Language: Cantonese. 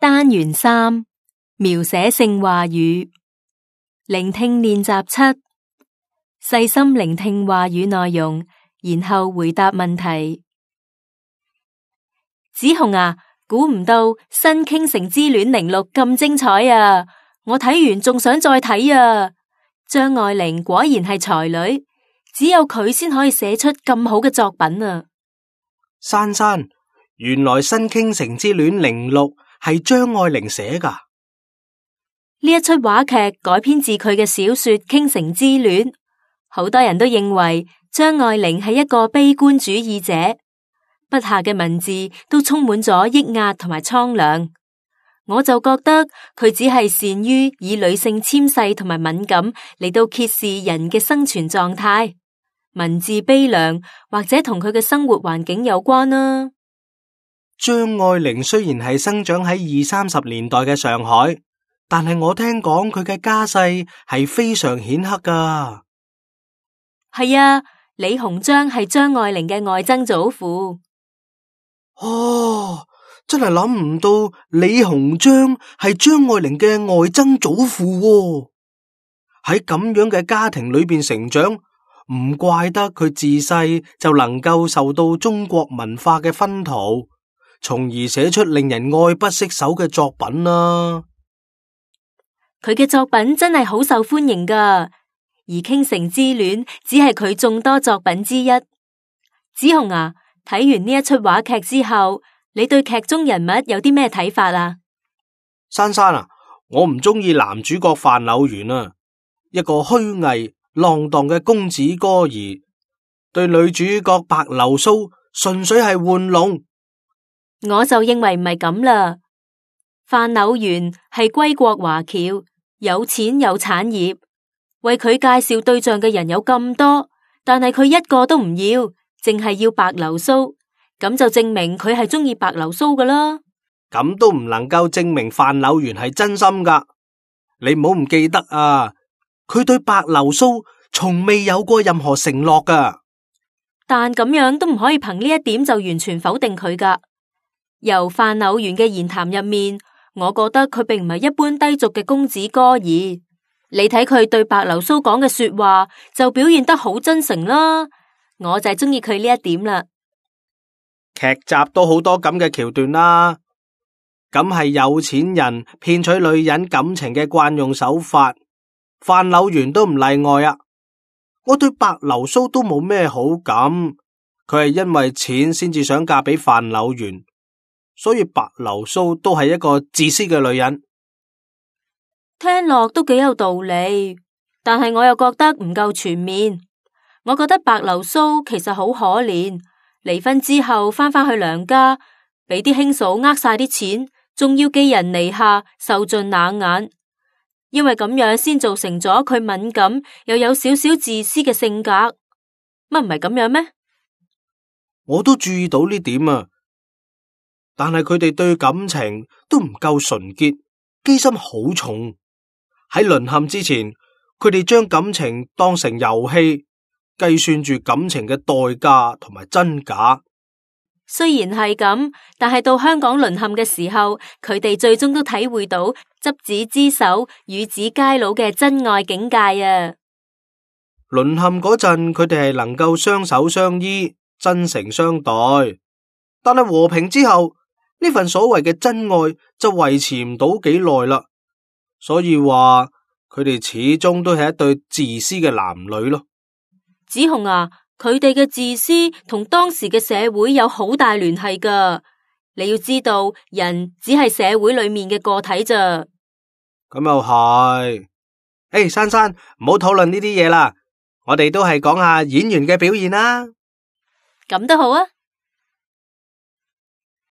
單元3描寫性話語，聆聽練習7，細心聆聽話語內容，然後回答問題。子紅啊，估唔到新傾城之戀06咁精彩啊！我睇完仲想再睇啊！張愛玲果然係才女，只有佢先可以寫出咁好嘅作品啊！珊珊，原來新傾城之戀06係張愛玲寫㗎。呢一出話劇改編自佢嘅小說《傾城之戀》，好多人都認為張愛玲係一個悲觀主義者，筆下嘅文字都充滿咗抑壓同埋蒼涼。我就覺得佢只係善於以女性纖細同埋敏感嚟到揭示人嘅生存狀態，文字悲涼或者同佢嘅生活環境有關啦。張愛玲雖然係生長喺20-30年代嘅上海，但係我聽講佢嘅家世係非常顯赫噶。係啊，李鴻章係張愛玲嘅外曾祖父。哦，真係諗唔到李鴻章係張愛玲嘅外曾祖父喎。喺咁樣嘅家庭裏邊成長，唔怪得佢自細就能夠受到中國文化嘅熏陶，從而寫出令人愛不釋手嘅作品啦。佢嘅作品真係好受歡迎噶，而《傾城之戀》只係佢眾多作品之一。子紅啊，睇完呢一出話劇之後，你對劇中人物有啲咩睇法啊？珊珊啊，我唔中意男主角范柳原啊，一個虛偽浪蕩嘅公子哥兒，對女主角白流蘇純粹係玩弄。我就認為唔係咁啦。范柳原係歸國華僑，有錢有產業，為佢介紹對象嘅人有咁多，但係佢一個都唔要，淨係要白流蘇，咁就證明佢係中意白流蘇噶啦。咁都唔能夠證明范柳原係真心噶。你唔好唔記得啊，佢對白流蘇從未有過任何承諾噶。但咁樣都唔可以憑呢一點就完全否定佢噶。由范柳原嘅言談入面，我覺得佢並唔係一般低俗嘅公子哥兒。你睇佢對白流蘇講嘅說話，就表現得好真誠啦。我就係中意佢呢一點啦。劇集都好多咁嘅橋段啦，咁係有錢人騙取女人感情嘅慣用手法，范柳原都唔例外啊。我對白流蘇都冇咩好感，佢係因為錢先至想嫁俾范柳原，所以白流蘇都係一個自私嘅女人。聽落都幾有道理，但係我又覺得唔夠全面。我覺得白流蘇其實好可憐，離婚之後翻返去娘家，俾啲兄嫂呃晒啲錢，仲要寄人籬下，受盡冷眼。因為咁樣先造成咗佢敏感又有少少自私嘅性格。乜唔係咁樣咩？我都注意到呢點啊，但係佢哋對感情都唔夠純潔，機心好重。喺淪陷之前，佢哋將感情當成遊戲，計算住感情嘅代價同埋真假。雖然係咁，但係到香港淪陷嘅時候，佢哋最終都體會到執子之手，與子偕老嘅真愛境界啊！淪陷嗰陣，佢哋係能夠雙手相依，真誠相待。但係和平之後，呢份所謂嘅真愛就維持唔到幾耐啦。所以話佢哋始終都係一對自私嘅男女咯。子紅啊，佢哋嘅自私同當時嘅社會有好大聯繫噶。你要知道，人只係社會裏面嘅個體咋。咁又係。珊珊，唔好討論呢啲嘢啦，我哋都係講下演員嘅表現啦。咁都好啊。